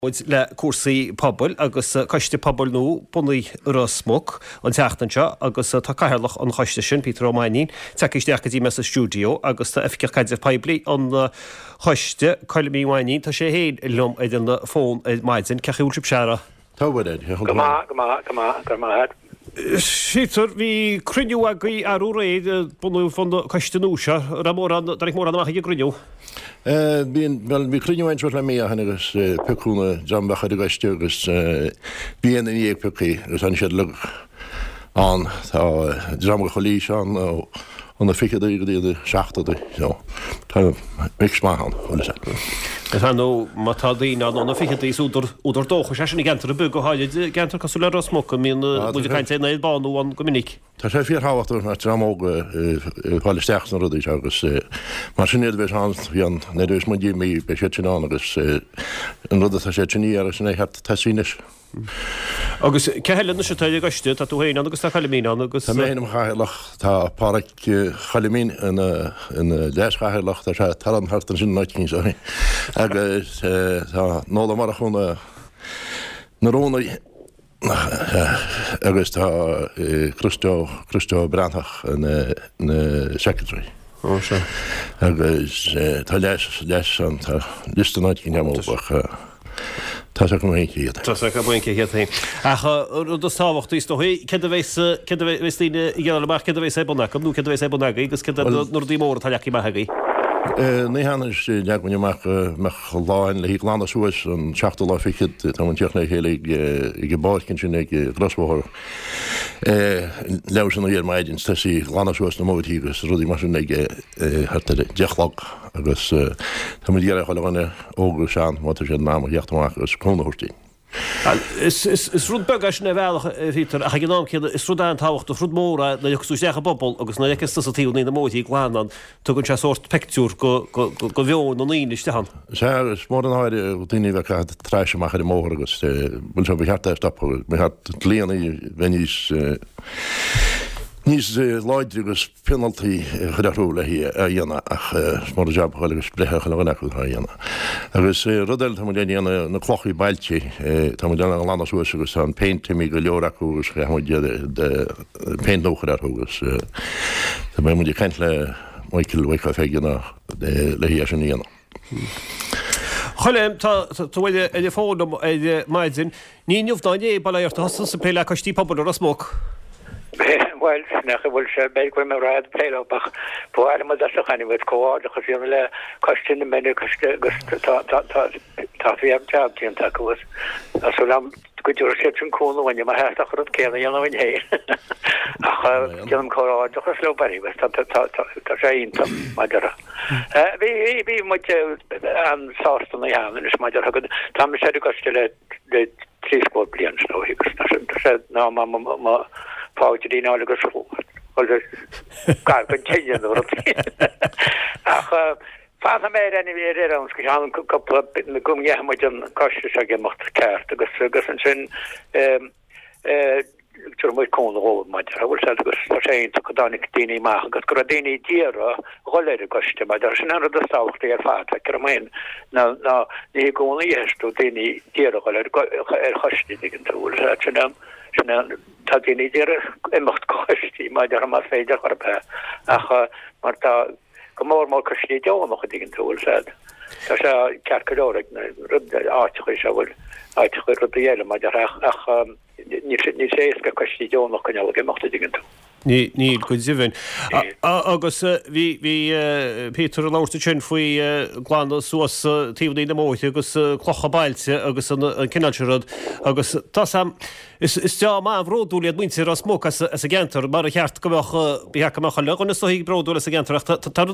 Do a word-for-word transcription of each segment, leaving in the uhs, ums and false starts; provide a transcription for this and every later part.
Muid le cúrsaí pobail agus coiste pobail nua bunaithe i Ros Muc an tseachtain seo agus tá cathaoirleach an choiste sin, Peter Ó Mainnín, tagtha isteach go dtí mé sa stiúideo agus tá Oifigeach Caidrimh Poiblí an choiste, Colm Uí Mhainnín, tá sé féin liom ar an bhfón ar maidin. Cén chaoi a bhfuil sibh, a fheara? Tá a Mhuirear, Go maith, go maith, go maith, go raibh maith agat. Peter, bhí cruinniú agaibh arú aréir, bunú an choiste nua seo. Raibh mórán, dtáinig mórán amach ag an gcruinniú? Bhí, bhuel, bhí cruinniú againn suas le mí ó shin agus piocadh na dream a bheadh ar an gcoiste agus bhí aon duine dhéag pioctha agus tháinig siad uilig ann. Tá dream de chuile aois ann ó na ficheadaí go dtí na seachtódaí so tá mix maith ann, bhfuil fhios agat. Is ar ndóigh má tá daoine ann ó na ficheadaí is údar, údar dóchais é sin i gceantar ar bith, go háirid i gceantar cosúil le Ros Muc a mbíonn muid ag caint ar an aer bánú ann go minic. Tá sé fíorthábhachtach go mbeadh dream óg ag fáil isteach sna rudaí seo agus mar sin iad a bheas ann nuair a bheas muid imithe, beidh siad sin ann agus an rud atá siad sin a iarraidh sin é cheart tosaí anois. Agus cé heile anois atá ar an gcoiste? Tá tú féin ann agus tá Coilimín ann agus. Tá mé féin i mo chathaoirleach, tá Páraic Choilimín ina leas-chathaoirleach, tá sé ag tarraingt thart ansin in áit éicint ó shin agus tá Noel Ó Murchú ina rúnaí agus tá Christo, Christo Breathnach ina secretary. Ó sea. Agus tá leas, leas ann, tá liosta in áit éicint agam ach tá 's agam féin cé hiad. Tá 's agam féin cé hiad féin. Ach an rud is tábhachtaí is dóigh, céard a bheas, céard a bheas daoine ag iarraidh amach, céard a bheas ar bun acu nó céard a bheas ar bun agaibh agus céard iad na rudaí móra atá leagtha amach agaibh? Ní hea anois, leag muid amach go mbeadh lá ann le glanadh suas an seachtú lá fichead, tá muid ag tíocht le chéile ag an bpáirc ansin ag an gcrosbhóthar. Leathuair tar éis a naoi ar maidin is tosaí ag glanadh suas na mbóithrí agus rudaí mar sin ag thart ar a deich a chlog agus tá muid ag iarraidh chuile dhuine, óg agus sean, má tá siad in am a theacht amach agus cúnamh a thabhairt dúinn. Is rud beag é sin ar bhealach, a Peter, ach ag an am céanna is rud an-tábhachtach, rud mór é nuair a thiocfas tú isteach i bpobal agus nuair a fheiceas tusa taobhanna na mbóithrí glan ann, tugann sé sórt pictiúr go mheon na ndaoine istigh ann. Sea, is mór an náire daoine a bheith ag caitheamh trash amach ar an mbóthar agus bhuel seo, ba cheart é a stopadh, ba cheart dlíanna a bheith níos níos láidre agus pionaltaí a chur orthu le é a dhéanamh ach is mór an jab a dhul agus breith ar chuile dhuine acu atá á dhéanamh. Agus rud eile atá muid a dhéanamh, na clochaí bailte, tá muid á nglanadh suas agus tá an péint imithe go leor acu agus caithfidh muid péint nua a chur orthu agus beidh muid ag caint le Michael Mhic Pheige ná le é sin a dhéanamh. Choilm, tá tú ar an bhfón liom ar maidin. Ní inniu ná inné, bail ó Dhia ort, a thosaigh tusa ag plé le coistí pobail i Ros Muc. Bhuel, nach bhfuil sé, b'fhéidir go bhfuil mé ró-fhada ag plé leo, ach ba mhaith liom a dtosódh anyway, comhghairdeachas a dhéanamh le coiste na mBeanna, coiste agus tá, tá, tá, tá fíor-jab déanta acu agus tá súil agam go dtabharfaidh siad sin cúnamh dúinne mar theastaigh an rud céanna a dhéanamh againn féin. Ach déanaim comhghairdeachas leo anyway, tá, tá, tá, tá, tá sé iontach, mar a déarfá. Bhí, bhí, bhí muid an-sásta na cheana anois, mar a déarfá, go, tá mise ar an gcoiste le, le trí scór bliain is dóigh agus tá sé, tá sé ná má, má, má pháidrín fháil agus gar don tine nó rud. Ach fanfaidh mé ar anyway ar ar aon scéal cúpla go ngeithfidh muid an coiste seo ag imeacht ceart agus agus ansin tabharfaidh muid cúnamh dhóibh mar a déarfá bhfuil sé agus tá sé iontach go dtáinig daoine amach agus go raibh daoine ag iarraidh dhul ar an gcoiste mar a déarfá sin an rud is tábhachtaí ar fad feictear dom féin ná ná ní i gcónaí a fheiceas tú daoine ag iarraidh dhul ar ar choiste an dtuigeann tú bhfuil sé sin an sin an tá daoine ag iarraidh imeacht go coistí mar a déarfá más féidir chor ar bith ach mar tá go mór mór coistí deonach an dtuigeann tú, bhfuil 's a'd. Tá sé ceart go leor ag na rud áiteachaí seo bhfuil áiteachaí rudaí eile mar a déarfá ach ach níl sé níl sé éasca coistí deonach a choinneáil ag imeacht an dtuigeann tú. Ní níl go deimhin. Agus bhí bhí Peter ag labhairt ansin faoi glanadh suas taobhanna na mbóithre agus clocha bailte agus an cineál sin rud agus tá 's a'm Is dream an-bhródúil iad muintir Ros Muc as an gceantar, mar ba cheart go mbeadh, ba cheart go mbeadh chuile dhuine is dóigh bródúil as an gceantar ach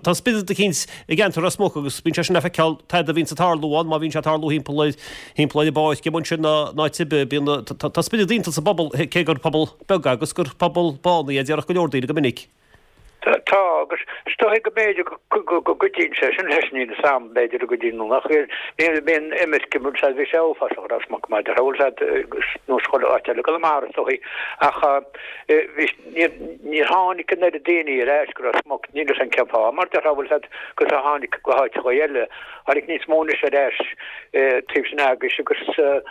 tá spiorad eicínt i gceantar Ros Muc agus bíonn sé sin le feiceáil tada a bhíonns ag tarlú ann, má bhíonn sé ag tarlú thimpeall ar, thimpeall ar an bpáirc amuigh ansin ná ná áit ar bith, bíonn, tá spiorad iontach sa bpobal cé gur pobal beag agus gur pobal bánaí é, déarfadh go leor daoine go minic. Tá agus is dóigh go mb'fhéidir go gcuidíonn sé sin leis níl a fhios a'm b'fhéidir go gcuidíonn nó nach bhfuil bíonn imirce mar sea bhí sé uafásach Ros Muc mar a bhfuil siad nós chuile áit eile i gConamara is dóigh ach bhí níor níor tháinig an oiread daoine ar ais go Ros Muc níl a fhios a'm cén fáth mar déarfá bhfuil siad agus a tháinig go háiteacha eile tháinig níos mó anois ar ais taobh sin agaibhse agus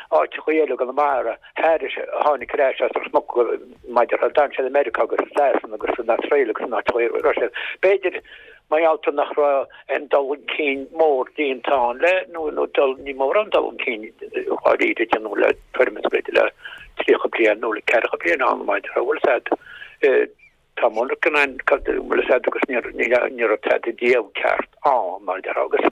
áiteacha eile i gConamara thairis a tháinig ar ais as Ros Muc maidir le d'fhan siad i Meiriceá agus i Sasana agus san Astráil agus in áiteacha a raibh siad. B'fhéidir mar gheall nach raibh aon dul chun cinn mór déanta ann le nó nó dul ní mórán dul chun cinn dháiríre déanamh le tuairim is b'fhéidir le tríocha bliain nó le ceathracha bliain ann maidir bhfuil a fhios a'd tá monarcha ann bhfuil a fhios a'd agus ní ní raibh tada díobh ceart ann mar a déarfá agus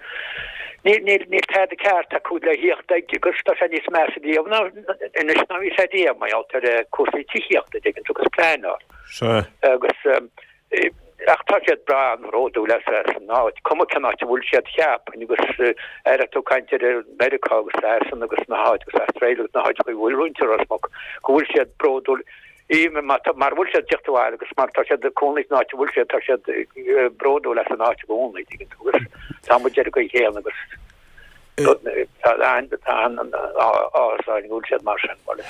níl níl níl tada ceart acu le thíocht ag agus tá sé níos measa díobh ná anois ná bhí sé díobh mar gheall ar cúrsaí tithíochta an dtuigeann tú agus pleanáil. Sea. Agus ach tá siad breá an-bhródúil as an áit, cuma cén áit a bhfuil siad cheapfainn agus ar tú ag caint ar Meiriceá agus Sasana agus na háit agus Astráil agus na háiteacha a bhfuil roinnt Ros Muc go bhfuil siad bródúil even mar mar bhfuil siad teacht abhaile agus mar tá siad ag cónaí san áit a bhfuil siad tá siad bródúil as an áit i gcónaí tuigeann tú agus tá muid ar an gcaoi chéanna agus tá an tá an áthas orainn go bhfuil siad mar sin bhuel.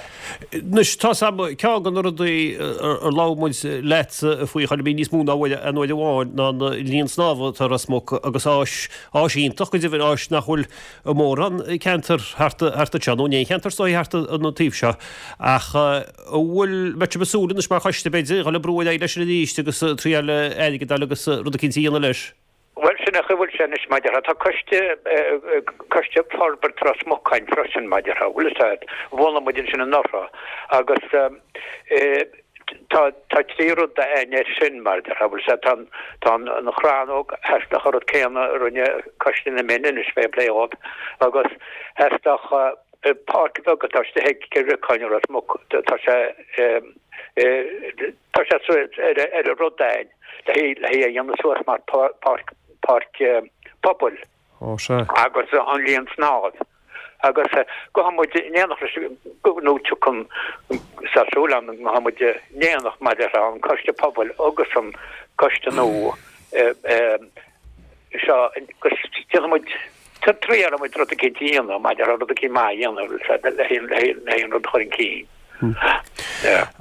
Anois tá 's a'm ceann de na rudaí ar labhair muid leatsa faoi a Choilmín níos mó ná uair aon uair amháin ná an linn snámha atá i Ros Muc agus áis áis iontach go deimhin áis nach bhfuil i mórán ceantar thart thart anseo nó in aon cheantar is dóigh thart an taobh seo ach An bhfuil, mbeidh sibh ag súil anois mar choiste, b'fhéidir, dhul ag brú ar aghaidh leis sin arís agus triail airgead a fháil agus rud eicínt a dhéanamh leis? Bhuel, sin é an chaoi a bhfuil sé anois, mar a déarfá. Tá coiste, coiste forbartha Ros Muc againn freisin, mar a déarfá, bhfuil a fhios a'd, bhunaigh muid ansin anuraidh agus tá, tá trí rud againn air sin, mar a déarfá, bhfuil a fhios a'd, tá an, tá an, an chrannóg, theastódh an rud céanna a rinne Coiste na Mine anois fé plé dhóibh agus theastódh, Páirc bheag atá istigh ag Cill Riocáin i Ros Muc, tá sé tá sé ar ar an rud againn le hí le hí a dhéanamh suas mar páirc páirc pobail. Ó sea. Agus an linn snámh. Agus gabhfaidh muid in éineacht leis nó tiocfaidh tá súil agam go ngabhfaidh muid in éineacht mar a déarfá an coiste pobail agus an coiste nua seo agus déanfaidh muid triailfidh muid rud eicínt a dhéanamh maidir le rud eicínt maith a dhéanamh le haon rud a chur chun cinn.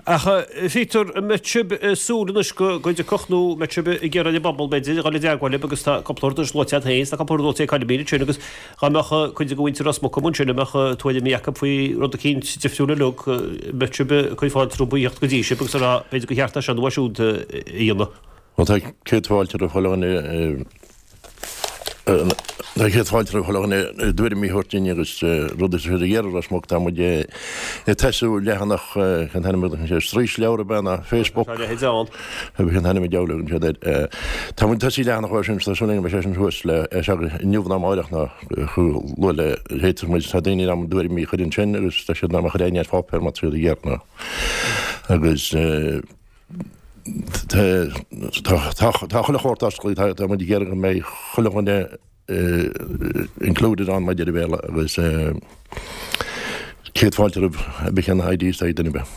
Ach a Pheter, an mbeidh sibh ag súil anois go dtiocfadh nó an mbeidh sibh ag iarraidh ar an bpobal b'fhéidir a dhul i dteagmháil libh agus tá cúpla rud anois luaite agat féin, tá cúpla rud luaite ag Coilmín ansin agus dá mbeadh cuid de mhuintir Ros Muc amuigh ansin a mbeadh tuairimí acu faoi rud eicínt difriúil uilig, an mbeidh sibh ag cur fáilte rompu a theacht go dtí sibh agus a rá b'fhéidir gur cheart é seo nó é siúd a dhéanamh. Bhuel tá céad fáilte roimh chuile dhuine Tá céad fáilte roimh chuile dhuine a dtuairimí a thabhairt dúinn agus rudaí atá siad ag iarraidh Ros Muc. Tá muid ag tosú leathanach, cén t-ainm a thugann siad, straoisleabhar ab ea ná Facebook? Tá a leithéid ann. Cén t-ainm an diabhal a thugann siad air. Tá muid ag tosú leathanach uair sin, tá súil againn go mbeidh sé sin thuas le seo inniu nó amáireach nó chomh luath le fhéadfas muid. Tá daoine in ann a dtuairimí a chur ansin agus tá siad in ann a chur ar pháipéar má tá siad ag iarraidh. Agus. Tá chuile shórt oscailte, tá muid ag iarraidh go mbeidh chuile dhuine included ann mar a deir an Béarla agus céad fáilte roimh cibé cén ideas atá ag duine ar bith.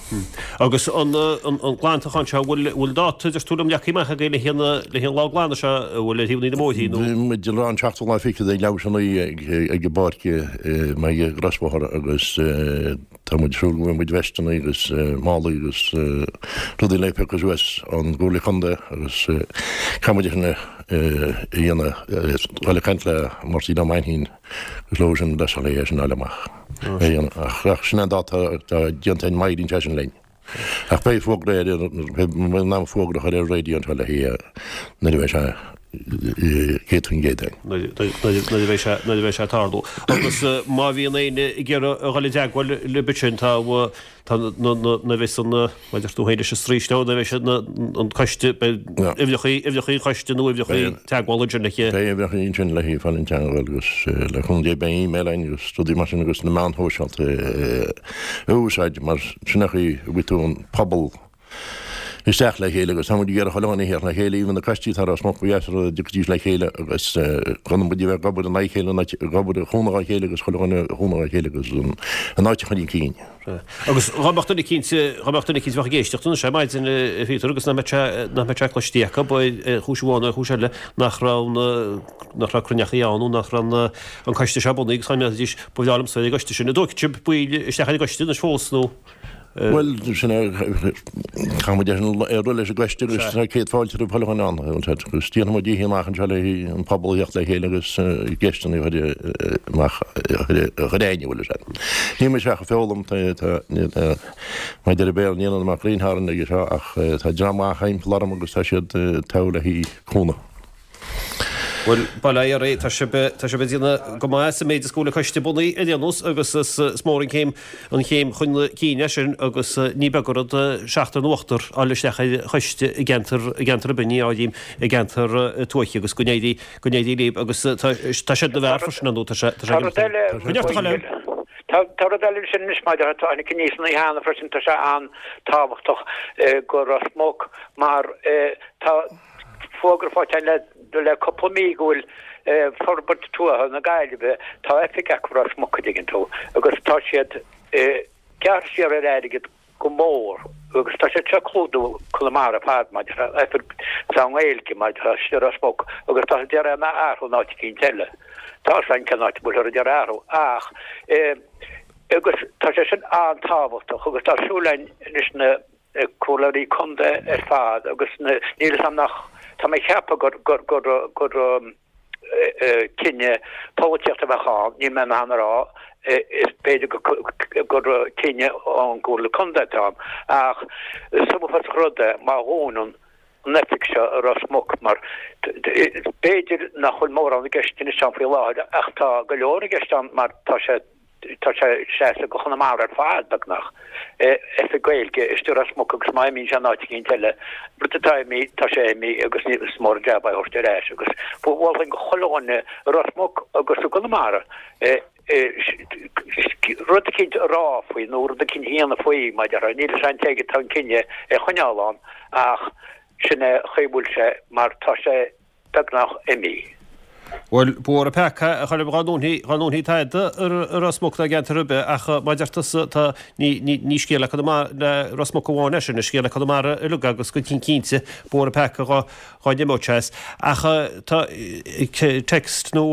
Agus an glantachán seo, bhfuil dáta, deir tú liom, leagtha amach agaibh le haghaidh an lá glanadh seo, an bhfuil ar thaobh na mbóithrí nó? Bhí muid ag rá an seachtú lá fichead ag leathuair tar éis a naoi ag an bpáirc ag an gcrosbhóthar agus Tá muid ag súil go mbeidh muid veisteanna agus málaí agus rudaí le piocadh suas ón gComhairle Contae agus caithfidh muid é sin a dhéanamh, dul ag caint le Máirtín Ó Mainchín agus leo sin le é sin a fháil amach a dhéanamh. Ach sin an dáta atá déanta ag Máirín sé sin linn. Ach beidh fógra ar, beidh muid in ann fógra a chur ar an raidió anseo le haghaidh nuair a bheidh sé céad faoin gcéad againn. Nuair a bheidh sé, nuair a bheidh sé ag tarlú. Agus má bhíonn éinne ag iarraidh a dhul i dteagmháil libh ansin tá, tá na, na, na bheas an, mar a deir tú féin leis an straoisleabhar, nuair a bheidh na, an coiste, beidh uimhreacha, uimhreacha an choiste nó uimhreacha teagmhála ansin le haghaidh. Beidh uimhreacha ansin le haghaidh fáil i dteagmháil agus le cúnamh Dé beidh email againn agus rudaí mar sin agus na meáin shóisialta a úsáid mar sin é an chaoi a bhfaighidh tú an pobal isteach le chéile agus tá muid ag iarraidh chuile dhuine a theacht le chéile, even na coistí atá i Ros Muc ba dheas an rud dá dtiocfaidís le chéile agus gan muid a bheith ag obair in aghaidh a chéile, ag obair ag cúnamh dá chéile agus chuile dhuine ag cúnamh dá chéile agus an áit a chur chun cinn. Agus dhá mbeadh duine eicínt, dhá mbeadh duine eicínt a bheadh ag éisteacht anois ar maidin, a Phíotair, agus nach mbeadh sé, nach mbeadh sé cloiste acu, ar chúis amháin nó ar chúis eile, nach raibh na, nach raibh cruinneachaí ann nó nach raibh na, an coiste seo bunaithe agus dá ndéarfaidís, ba bhreá liomsa bheith ar an gcoiste sin. An dtógfaidh sibh baill isteach ar an gcoiste anois fós nó? Bhuel, sin é, caithfidh muid ar rud leis an gcoiste agus tá céad fáilte roimh chuile dhuine ann, agus déanfaidh muid oíche amach anseo le an pobal a theacht le chéile agus ceisteanna a chur amach, a chur aithne, bhfuil fhios agat. Níl mise ach ag foghlaim, tá, mar a deir an Béarla, níl ionam ach greenhorn aige seo ach tá dream maith thimpeall orm agus tá siad togha le haghaidh cúnamh. Bhuel, bail ó Dhia oraibh, tá sibh, tá sibh ag déanamh go maith sa méid is go bhfuil an coiste bunaithe ar aon nós agus is, is mór an chéim, an chéim chun cinn é sin agus ní beag an rud seachtar nó ochtar a fháil isteach ar choiste i gceantar, i gceantar ar bith, ní áirím i gceantar tuaithe agus go n-éirí, go n-éirí libh agus tá, tá siad ina bhfear freisin ar ndóigh, tá sé, tá sé Tá rud eile, Go neart a Choilm. Tá, tá rud eile ansin anois maidir, tá tháinig aníos an oíche cheana freisin, tá sé an-tábhachtach go Ros Muc mar tá fógra faighte le le cúpla mí go bhfuil Forbairt Tuaithe na Gaillimhe, tá oifig acu i Ros Muc an dtuigeann tú, agus tá siad gearrtha siar ar airgead go mór agus tá siad seo ag clúdú Conamara ar fad maidir le oifig sa nGaeilge maidir le istigh i Ros Muc agus tá siad ag iarraidh é a athrú in áit eicínt eile. Tá a fhios againn cén áit a bhfuilthear ag iarraidh athrú ach agus tá sé sin an-tábhachtach agus tá súil againn anois na comhairleoirí contae ar fad agus níl fhios agam nach, tá mé ag ceapadh gur, gur, gur, gur cinneadh polaitíochta a bheadh ann, níl mé in ann a rá, is b'fhéidir gur cinneadh ón gComhairle Contae atá ann, ach is uafásach rud é má dhúnann an oifig seo i Ros Muc mar b'fhéidir nach bhfuil mórán i gceist anois ann faoi láthair ach tá go leor i gceist ann mar tá sé Tá sé ag seasamh go Chonamara ar fad, beagnach. Oifig Gaeilge istigh i Ros Muc agus má imíonn sé in áit eicínt eile, rud atá imithe, tá sé imithe agus ní, is mór an jab é a thabhairt ar ais. Agus mholfainn go chuile dhuine i Ros Muc agus i gConamara rud eicínt a rá faoi nó rud eicínt a dhéanamh faoi, mar a déarfá. Níl fhios a'm cé aige atá an cinneadh é a choinneáil ann ach sin é an chaoi a bhfuil sé mar tá sé beagnach imithe. Bhuel, b'fhuar an peaca a Choilm dhá ndúnfaí, dhá ndúnfaí tada i Ros Muc ná i gceantar ar bith ach mar a deir tusa tá, ní, ní, ní scéal le Conamara, le Ros Muc amháin é sin, is scéal le Conamara uilig agus go cinnte b'fhuar an peaca dhá, dhá n-imeodh sé as. Ach tá text nó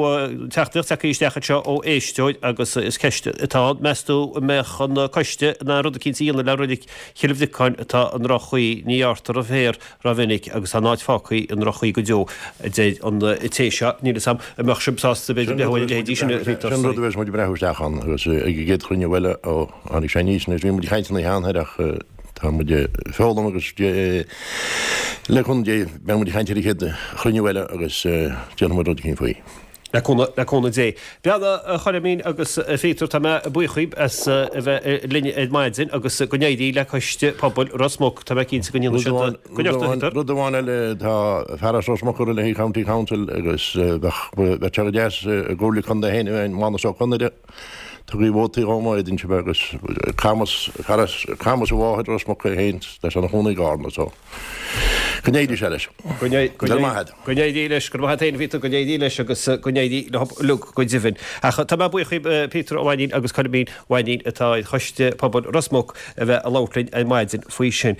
teachtaireacht tagtha isteach anseo ó éisteoir agus is ceist atá ann, meas tú an mbeadh an coiste in ann rud eicínt a dhéanamh le reilig Chill Bhriocáin atá i ndroch-chaoi, ní ghearrtar an féar Rómhinic agus tá an áit fágtha i ndroch-chaoi go deo, a deir an té seo. Níl 'fhios a'm an mbeadh sibh sásta b'fhéidir breathnú ar a leithéidí sin a Phíotair. Sin rud a bheas muid ag breathnú isteach ann agus ag an gcéad chruinniú eile ó tháinig sé aníos anois. Bhí muid ag caint ina cheann air ach tá muid ag foghlaim agus le cúnamh Dé beidh muid ag caint ar an chéad chruinniú eile agus déanfaidh muid rud eicínt faoi. Le cúnamh Dé. Bhuel a Choilmín agus a Phíotair, tá mé buíoch dhaoib as a bheith linn ar maidin agus go n-éirí le Coiste Pobail Ros Muc. Tá mé cinnte go ndéanfaidh siad go neart a Phíotair. Rud amháin eile, tá fear as Ros Muc ag rith le haghaidh County Council agus bheadh sé go deas i gComhairle Contae féin a bheith Mánas Ó Conaire. Tugaigí vótaí dhó má fhéadann sibh agus Camus, fear as Camus a mháthair Ros Muc é féin, tá sé ina chónaí i gCarna so go n-éirí sé leis. Go n-éirí leis, go raibh maith agat féin a Phíotair, go n-éirí leis agus go n-éirí leo uilig go deimhin. Ach tá mé buíoch dhaoib Peter Ó Mainnín agus Coilmín Ó Mainnín atá ar Choiste Pobail Ros Muc a bheith ag labhairt linn ar maidin faoi sin.